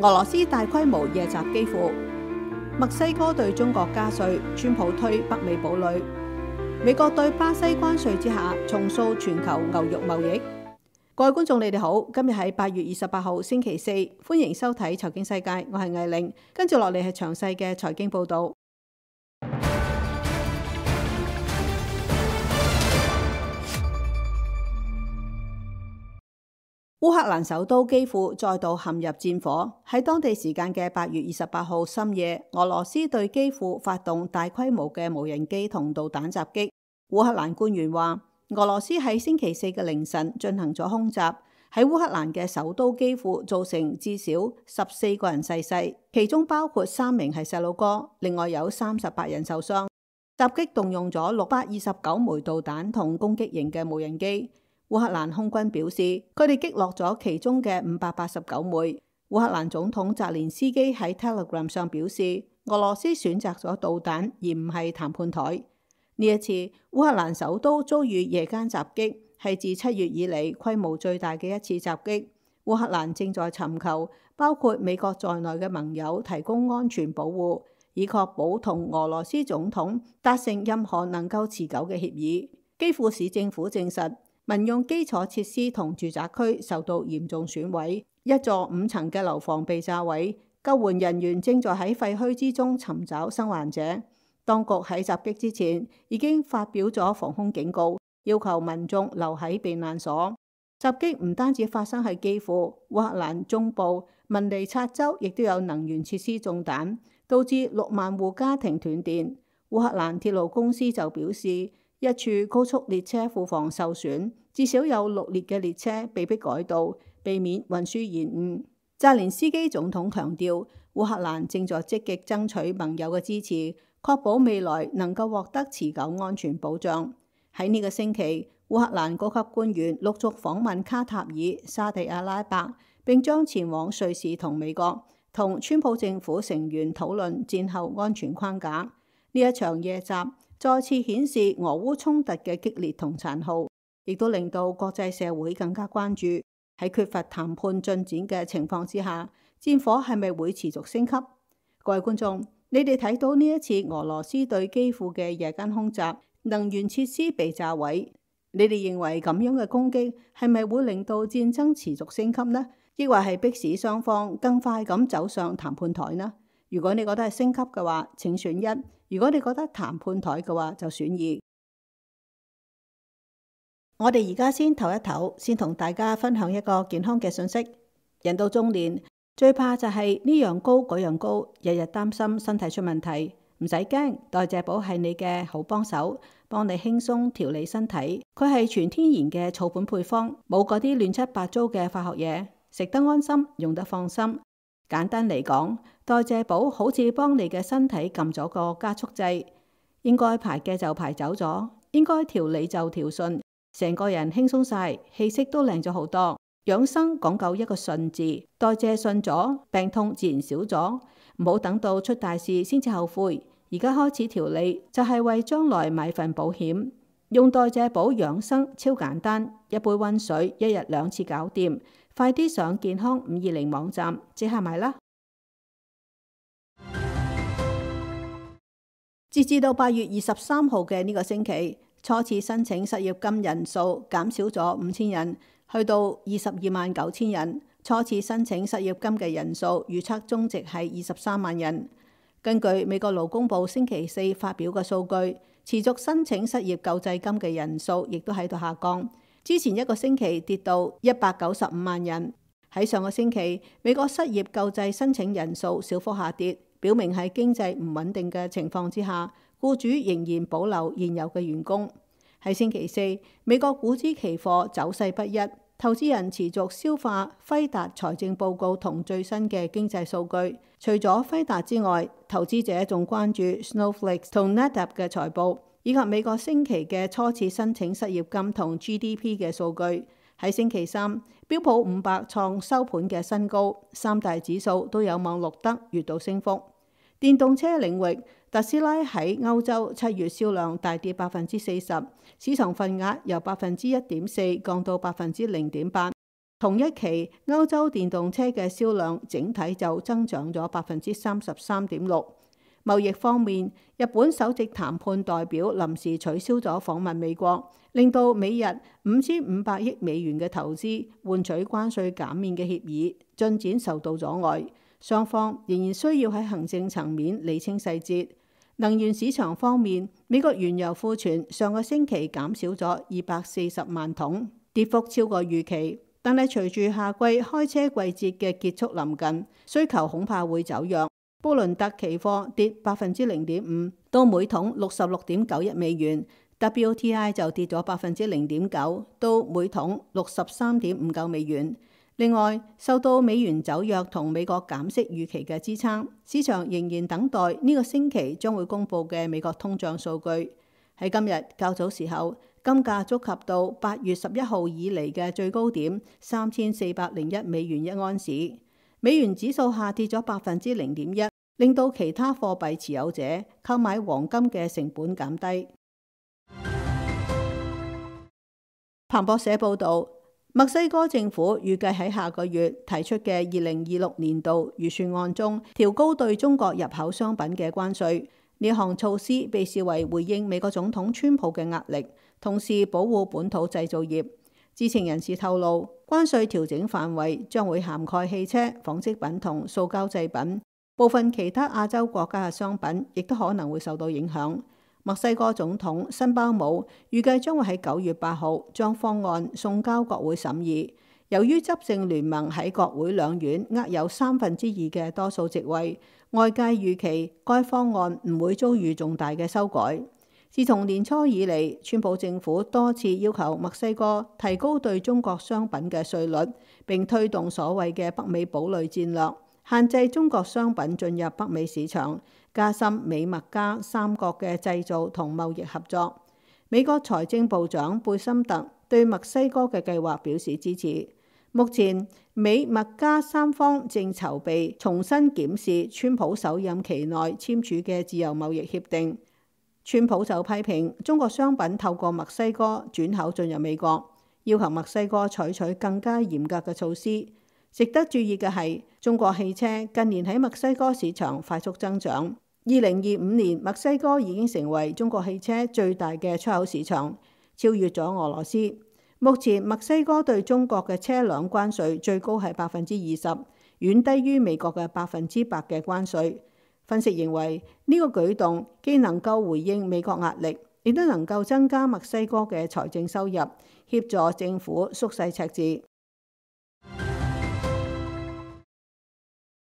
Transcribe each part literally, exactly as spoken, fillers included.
俄羅斯大規模夜襲基輔，墨西哥對中國加稅，川普推北美堡壘，美國對巴西關稅之下重塑全球牛肉貿易。各位觀眾，你哋好，今日係八月二十八號星期四，歡迎收睇財經世界，我係艾玲，跟住落嚟係詳細嘅財經報道。烏克蘭首都基輔再度陷入戰火。喺當地時間嘅八月二十八號深夜，俄羅斯對基輔發動大規模嘅無人機同導彈襲擊。烏克蘭官員話，俄羅斯喺星期四嘅凌晨進行咗空襲，喺烏克蘭嘅首都基輔造成至少十四個人逝世，其中包括三名係細路哥，另外有三十八人受傷。襲擊動用咗六百二十九枚導彈同攻擊型嘅無人機。烏克蘭空軍表示，佢哋擊落咗其中嘅五百八十九枚。烏克蘭總統澤連斯基喺 Telegram 上表示，俄羅斯選擇咗導彈而唔係談判台。呢一次烏克蘭首都遭遇夜間襲擊，係自七月以嚟規模最大嘅一次襲擊。烏克蘭正在尋求包括美國在內嘅盟友提供安全保護，以確保同俄羅斯總統達成任何能夠持久嘅協議。基輔市政府證實，民用基礎設施同住宅區受到嚴重損毀，一座五層嘅樓房被炸毀，救援人員正在喺廢墟之中尋找生還者。當局喺襲擊之前已經發表咗防空警告，要求民眾留喺避難所。襲擊唔單止發生喺基輔，烏克蘭中部文尼察州亦都有能源設施中彈，導致六萬戶家庭斷電。烏克蘭鐵路公司就表示，一處高速列車庫房受損，至少有六列嘅列車被迫改道，避免運輸延誤。澤連斯基總統強調，烏克蘭正在積極爭取盟友嘅支持，確保未來能夠獲得持久安全保障。喺呢個星期，烏克蘭高級官員陸續訪問卡塔爾、沙地阿拉伯，並將前往瑞士同美國，同川普政府成員討論戰後安全框架。呢一場夜襲再次顯示俄烏衝突嘅激烈同殘酷，亦都令到國際社會更加關注，喺缺乏談判進展嘅情況之下，戰火係咪會持續升級？各位觀眾，你哋睇到呢一次俄羅斯對基輔嘅夜間空襲，能源設施被炸毀，你哋認為咁樣嘅攻擊係咪會令到戰爭持續升級呢？抑或係迫使雙方更快咁走上談判台呢？如果你覺得係升級嘅話，請選一；如果你覺得談判台嘅話，就選二。我哋而家先唞一唞，先同大家分享一個健康嘅信息。人到中年，最怕就係呢樣高嗰樣高，日日擔心身體出問題。唔使驚，代謝寶係你嘅好幫手，幫你輕鬆調理身體。佢係全天然嘅草本配方，冇嗰啲亂七八糟嘅化學嘢，食得安心，用得放心。簡單嚟講，代謝寶好似幫你嘅身體撳咗個加速掣，應該排嘅就排走咗，應該調理就調順，成個人輕鬆晒，氣色都靚咗好多。養生講究一個順字，代謝順咗，病痛自然少咗。唔好等到出大事先至後悔，而家開始調理就係為將來買份保險。用代謝寶養生超簡單，一杯溫水，一日兩次搞掂。快啲上健康五二零網站即刻買啦！截至到八月二十三號嘅呢個星期，初次申請失業金人數減少咗五千人，去到二十二萬九千人。初次申請失業金嘅人數預測中值係二十三萬人。根據美國勞工部星期四發表嘅數據，持續申請失業救濟金嘅人數亦都喺度下降。之前一個星期跌到一百九十五萬人。喺上個星期，美國失業救濟申請人數小幅下跌，表明喺經濟唔穩定嘅情況之下，僱主仍然保留現有嘅員工。喺星期四，美國股指期貨走勢不一，投資人持續消化輝達財政報告同最新嘅經濟數據。除咗輝達之外，投資者仲關注 Snowflake 同 NetApp 嘅財報，以及美國星期嘅初次申請失業金同 G D P 嘅數據。喺星期三，標普五百創收盤嘅新高，三大指數都有望錄得月度升幅。電動車領域，特斯拉喺歐洲七月銷量大跌百分之四十，市場份額由百分之一點四降到百分之零點八。同一期歐洲電動車嘅銷量整體就增長咗百分之三十三點六。貿易方面，日本首席談判代表臨時取消咗訪問美國，令到美日五千五百億美元嘅投資換取關稅減免嘅協議進展受到阻礙，雙方仍然需要喺行政層面釐清細節。能源市場方面，美國原油庫存上個星期減少咗二百四十萬桶，跌幅超過預期。但係隨住夏季開車季節嘅結束臨近，需求恐怕會走弱。布倫特期貨跌百分之零點五，到每桶六十六點九一美元 ；W T I 就跌咗百分之零點九，到每桶六十三點五九美元。另外，受到美元走弱同美國減息預期嘅支撐，市場仍然等待呢個星期將會公布嘅美國通脹數據。喺今日較早時候，金價觸及到八月十一號以嚟嘅最高點三千四百零一美元一盎司。美元指數下跌咗百分之零點一，令到其他貨幣持有者購買黃金嘅成本減低。彭博社報導，墨西哥政府預計喺下個月提出嘅二零二六年度預算案中調高對中國入口商品嘅關稅。呢項措施被視為回應美國總統川普嘅壓力，同時保護本土製造業。知情人士透露，關稅調整範圍將會涵蓋汽車、紡織品同塑膠製品，部分其他亞洲國家嘅商品亦都可能會受到影響。墨西哥總統辛巴姆預計將會喺九月八號將方案送交國會審議。由於執政聯盟喺國會兩院握有三分之二嘅多數席位，外界預期該方案唔會遭遇重大嘅修改。自從年初以嚟，川普政府多次要求墨西哥提高對中國商品嘅稅率，並推動所謂嘅北美堡壘戰略，限制中國商品進入北美市場，加深美墨加三國嘅製造同貿易合作。美國財政部長貝森特對墨西哥嘅計劃表示支持。目前，美墨加三方正籌備重新檢視川普首任期內簽署嘅自由貿易協定。川普就批評中國商品透過墨西哥轉口進入美國，要求墨西哥採取更加嚴格嘅措施。值得注意嘅係，中國汽車近年喺墨西哥市場快速增長。二零二五年，墨西哥已經成為中國汽車最大嘅出口市場，超越咗俄羅斯。目前，墨西哥對中國嘅車輛關稅最高係百分之二十，遠低於美國嘅百分之百嘅關稅。分析認為，呢個舉動既能夠回應美國壓力，亦都能夠增加墨西哥嘅財政收入，協助政府縮細赤字。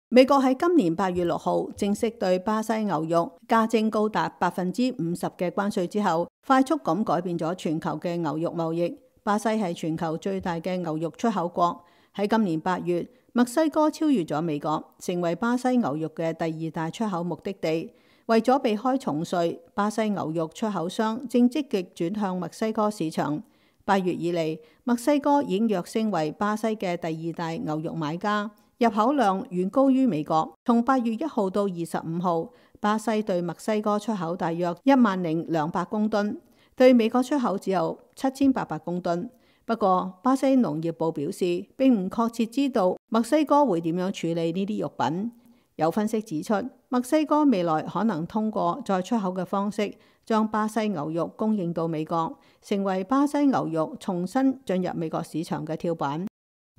美國喺今年八月六號正式對巴西牛肉加徵高達百分之五十嘅關稅之後，快速咁改變咗全球嘅牛肉貿易。巴西係全球最大嘅牛肉出口國。喺今年八月，墨西哥超越咗美國，成為巴西牛肉嘅第二大出口目的地。為咗避開重稅，巴西牛肉出口商正積極轉向墨西哥市場。八月以嚟，墨西哥已經躍升為巴西嘅第二大牛肉買家，入口量遠高於美國。從八月一號到二十五號，巴西對墨西哥出口大約一萬零兩百公噸，對美國出口只有七千八百公噸。不過，巴西農業部表示並唔確切知道墨西哥會點樣處理呢啲肉品。有分析指出，墨西哥未來可能通過再出口嘅方式，將巴西牛肉供應到美國，成為巴西牛肉重新進入美國市場嘅跳板。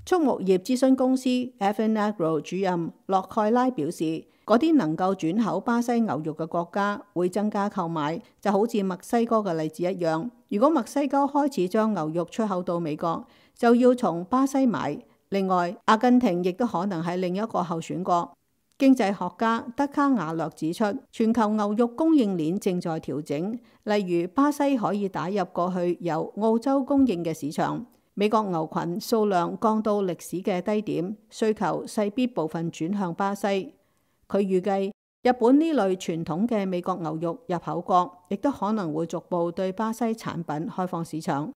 畜牧業諮詢公司 Afinagro 主任洛蓋拉表示，嗰啲能夠轉口巴西牛肉嘅國家會增加購買，就好似墨西哥嘅例子一樣。如果墨西哥開始將牛肉出口到美國，就要從巴西買。另外，阿根廷亦都可能係另一個候選國。經濟學家德卡瓦略指出，全球牛肉供應鏈正在調整，例如巴西可以打入過去由澳洲供應嘅市場。美國牛群數量降到歷史嘅低點，需求勢必部分轉向巴西。佢預計日本呢類傳統嘅美國牛肉入口國，亦都可能會逐步對巴西產品開放市場。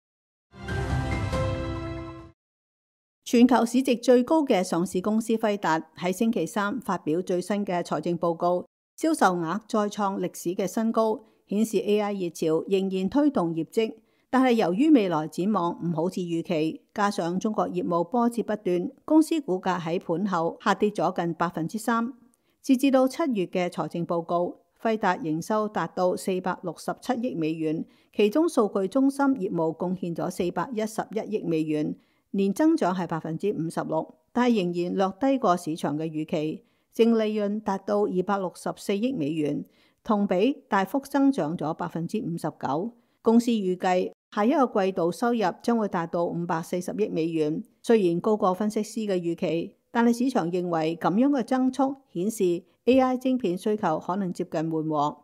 全球市值最高嘅上市公司輝達喺星期三發表最新嘅財政報告，銷售額再創歷史嘅新高，顯示 A I 熱潮仍然推動業績。但係由於未來展望唔好似預期，加上中國業務波折不斷，公司股價喺盤後下跌咗近百分之三。截至到七月嘅財政報告，輝達營收達到四百六十七億美元，其中數據中心業務貢獻咗四百一十一億美元，年增長係百分之五十六，但係仍然略低過市場嘅預期。淨利潤達到二百六十四億美元，同比大幅增長咗百分之五十九。公司預計下一個季度收入將會達到五百四十億美元，雖然高過分析師嘅預期，但係市場認為咁樣嘅增速顯示 A I 晶片需求可能接近緩和。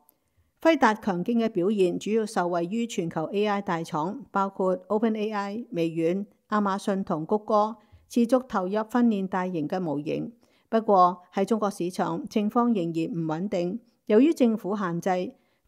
輝達強勁嘅表現主要受惠於全球 A I 大廠，包括 OpenAI、微軟、亞馬遜同谷歌，持續投入訓練大型嘅模型。不過喺中國市場情況仍然唔穩定，由於政府限制，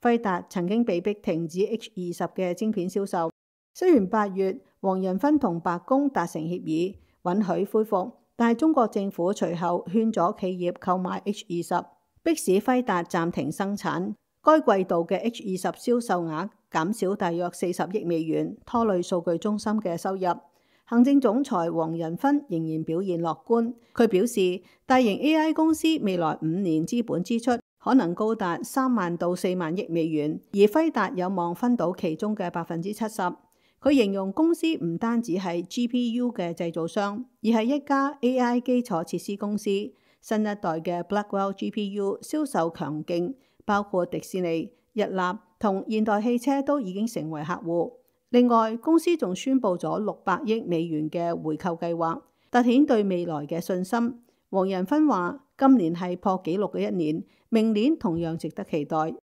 輝達曾經被迫停止 H 二十嘅晶片銷售。雖然八月黃仁勳同白宮達成協議，允許恢復，但係中國政府隨後勸咗企業購買 H 二十，迫使輝達暫停生產。該季度嘅 H 二十銷售額減少大約四十億美元，拖累數據中心嘅收入。行政總裁黃仁勳仍然表現樂觀，佢表示大型 A I 公司未來五年資本支出可能高達三萬到四萬億美元，而輝達有望分到其中嘅百分之七十。佢形容公司唔單止係 G P U 嘅製造商，而係一家 A I 基礎設施公司。新一代嘅 Blackwell G P U 銷售強勁，包括迪士尼、日立同現代汽車都已經成為客戶。另外，公司仲宣布咗六百億美元嘅回購計劃，凸顯對未來嘅信心。黃仁勳話：今年係破紀錄嘅一年，明年同樣值得期待。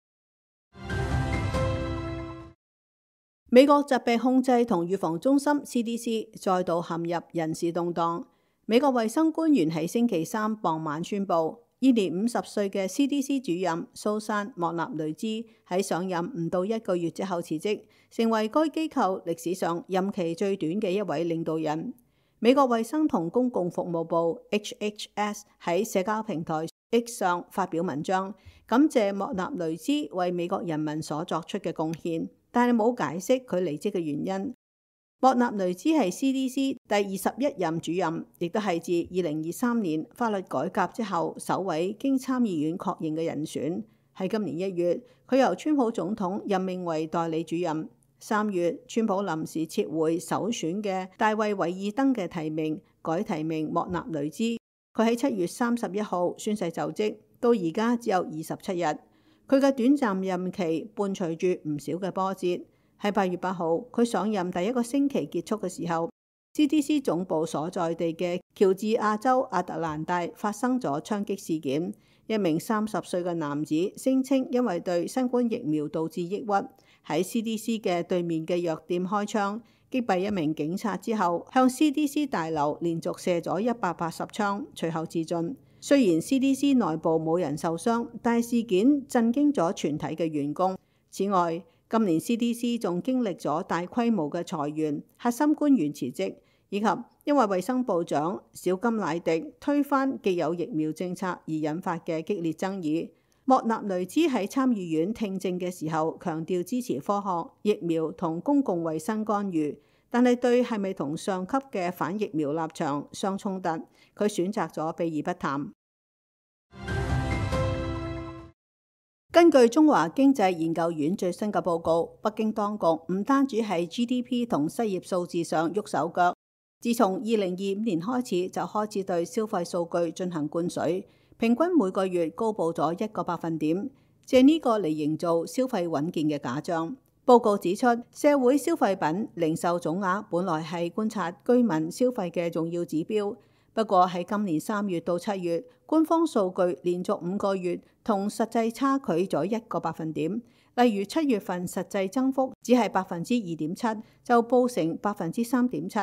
美國疾病控制同預防中心 C D C 再度陷入人事動盪。美國衛生官員喺星期三傍晚宣布，現年五十歲嘅 C D C 主任蘇珊莫納雷茲喺上任唔到一個月之後辭職，成為該機構歷史上任期最短嘅一位領導人。美國衛生同公共服務部 H H S 喺社交平台 X 上發表文章，感謝莫納雷茲為美國人民所作出嘅貢獻，但係冇解釋佢離職嘅原因。莫納雷茲係 C D C 第二十一任主任，亦都係自二零二三年法律改革之後首位經參議院確認嘅人選。喺今年一月，佢由川普總統任命為代理主任。三月，川普臨時撤回首選嘅大衛韋爾登嘅提名，改提名莫納雷茲。佢喺七月三十一號宣誓就職，到而家只有二十七日。佢嘅短暫任期伴隨住唔少嘅波折。喺八月八號，佢上任第一個星期結束嘅時候， C D C 總部所在地嘅喬治亞州亞特蘭大發生咗槍擊事件。一名三十歲嘅男子聲稱因為對新冠疫苗導致抑鬱，喺 C D C 嘅對面嘅藥店開槍擊斃一名警察之後，向 C D C 大樓連續射咗一百八十槍，隨後自盡。雖然 C D C 內部冇人受傷，但係事件震驚咗全體嘅員工。此外，今年 C D C 仲經歷咗大規模嘅裁員、核心官員辭職，以及因為衛生部長小金乃迪推翻既有疫苗政策而引發嘅激烈爭議。莫納雷茲喺參議院聽證嘅時候強調支持科學、疫苗同公共衛生干預，但係對係咪同上級嘅反疫苗立場相衝突，佢選擇咗避而不談。根據中華經濟研究院最新嘅報告，北京當局唔單止喺 G D P 同失業數字上喐手腳，自從二零二五年開始就開始對消費數據進行灌水，平均每個月高報咗一個百分點，借呢個嚟營造消費穩健嘅假象。報告指出，社會消費品零售總額本來係觀察居民消費嘅重要指標。不過喺今年三月到七月，官方數據連續五個月同實際差距咗一個百分點。例如七月份實際增幅只係百分之二點七，就報成百分之三點七。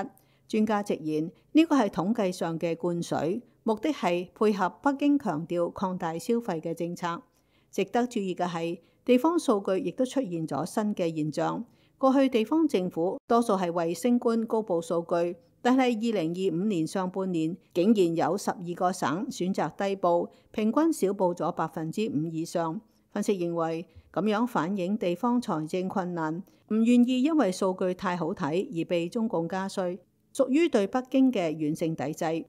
專家直言，呢個係統計上嘅灌水，目的係配合北京強調擴大消費嘅政策。值得注意嘅係，地方數據亦都出現咗新嘅現象。過去地方政府多數係為升官高報數據。但係二零二五年上半年，竟然有十二個省選擇低報，平均少報咗百分之五以上。分析認為，咁樣反映地方財政困難，唔願意因為數據太好睇而被中共加稅，屬於對北京嘅軟性抵制。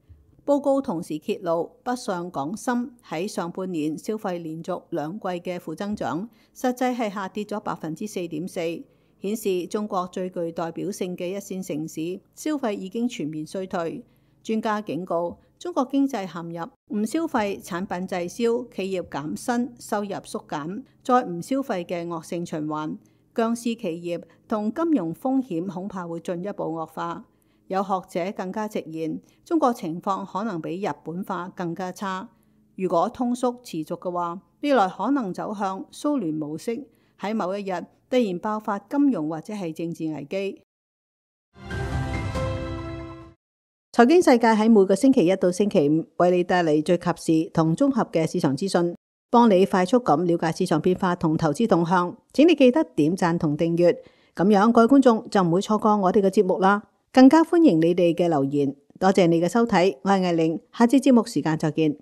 報告同時揭露，北上廣深喺上半年消費連續兩季嘅負增長，實際係下跌咗百分之四點四，顯示中國最具代表性嘅一線城市消費已經全面衰退。專家警告，中國經濟陷入唔消費、產品滯銷、企業減薪、收入縮減、再唔消費嘅惡性循環，僵屍企業同金融風險恐怕會進一步惡化。有學者更加直言，中國情況可能比日本化更加差。如果通縮持續嘅話，未來可能走向蘇聯模式，喺某一日突然爆發金融或者係政治危機。財經世界喺每個星期一到星期五為你帶嚟最及時同綜合嘅市場資訊，幫你快速咁了解市場變化同投資動向。請你記得點讚同訂閱，咁樣各位觀眾就唔會錯過我哋嘅節目啦。更加歡迎你哋嘅留言，多謝你嘅收睇，我係艾玲，下次節目時間再見。